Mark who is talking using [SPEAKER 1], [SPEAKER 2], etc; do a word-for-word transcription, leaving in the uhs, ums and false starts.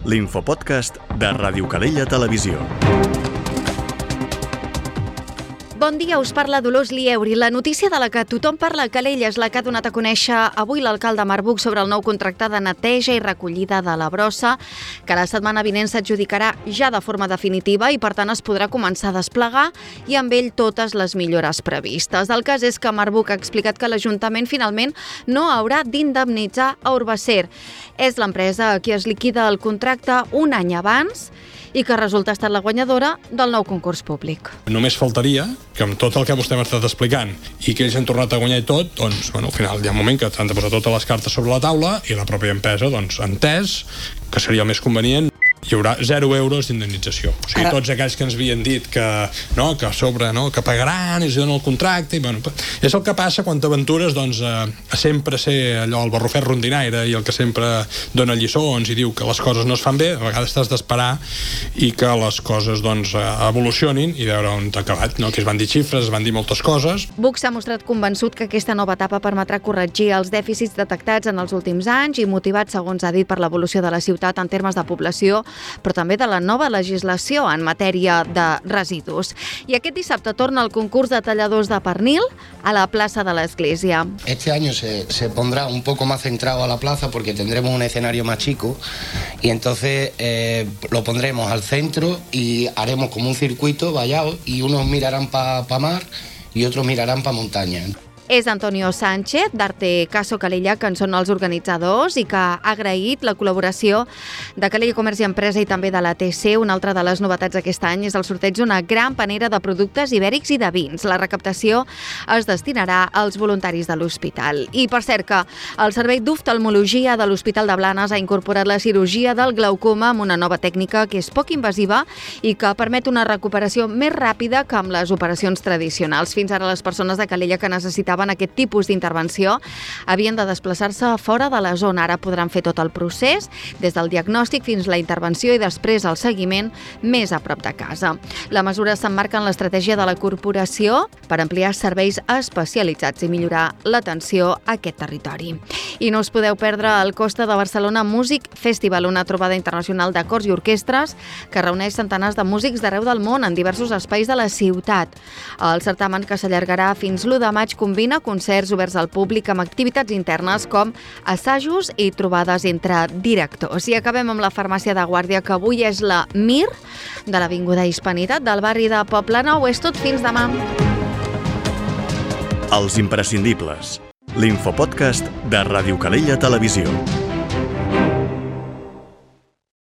[SPEAKER 1] l'infopodcast de Ràdio Calella Televisió.
[SPEAKER 2] Bon dia, us parla Dolors Lieuri. La notícia de la que tothom parla a Calella és la que ha donat a conèixer avui l'alcalde Marc Buch sobre el nou contracte de neteja i recollida de la brossa, que la setmana vinent s'adjudicarà ja de forma definitiva i, per tant, es podrà començar a desplegar i amb ell totes les millores previstes. El cas és que Marc Buch ha explicat que l'Ajuntament finalment no haurà d'indemnitzar a Urbacer. És l'empresa a qui es liquida el contracte un any abans i que resulta estar la guanyadora del nou concurs públic.
[SPEAKER 3] Només faltaria que amb tot el que vostè m'ha estat explicant i que ells han tornat a guanyar i tot, doncs, bueno, al final hi ha un moment que s'han de posar totes les cartes sobre la taula i la pròpia empresa, doncs, ha entès que seria el més convenient. Hi haurà zero euros d'indemnització. O sigui, Ara... tots aquells que ens havien dit que, no, que a sobre, no, que pagaran i es donen el contracte, i, bueno, és el que passa quan t'aventures, doncs, a, a sempre ser allò, el barrufet rondinaire i el que sempre dona lliçons i diu que les coses no es fan bé. A vegades t'has d'esperar i que les coses, doncs, evolucionin i veure on t'ha acabat, no? Que es van dir xifres, es van dir moltes coses.
[SPEAKER 2] Buch s'ha mostrat convençut que aquesta nova etapa permetrà corregir els dèficits detectats en els últims anys i motivat, segons ha dit, per l'evolució de la ciutat en termes de població, però també de la nova legislació en matèria de residus. I aquest dissabte torna el concurs de talladors de pernil a la plaça de l'Església.
[SPEAKER 4] Este año se, se pondrá un poco más centrado a la plaza porque tendremos un escenario más chico y entonces eh, lo pondremos al centro y haremos como un circuito vallado y unos mirarán para pa mar y otros mirarán para montaña.
[SPEAKER 2] És Antonio Sánchez, d'Arte Caso Calella, que en són els organitzadors i que ha agraït la col·laboració de Calella Comerç i Empresa i també de l'A T C. Una altra de les novetats d'aquest any és el sorteig d'una gran panera de productes ibèrics i de vins. La recaptació es destinarà als voluntaris de l'hospital. I, per cert, que el Servei d'Oftalmologia de l'Hospital de Blanes ha incorporat la cirurgia del glaucoma amb una nova tècnica que és poc invasiva i que permet una recuperació més ràpida que amb les operacions tradicionals. Fins ara, les persones de Calella que necessitaven aquest tipus d'intervenció havien de desplaçar-se fora de la zona. Ara podran fer tot el procés, des del diagnòstic fins la intervenció i després el seguiment més a prop de casa. La mesura s'emmarca en l'estratègia de la corporació per ampliar serveis especialitzats i millorar l'atenció a aquest territori. I no us podeu perdre el Costa de Barcelona Music Festival, una trobada internacional de cors i orquestres que reuneix centenars de músics d'arreu del món en diversos espais de la ciutat. El certamen, que s'allargarà fins l'u de maig, combina concerts oberts al públic amb activitats internes com assajos i trobades entre directors. I acabem amb la farmàcia de Guàrdia, que avui és la Mir de l'Avinguda Hispanitat del barri de Poblenou. És tot, fins demà.
[SPEAKER 1] Els imprescindibles. L'infopodcast de Ràdio Calella Televisió.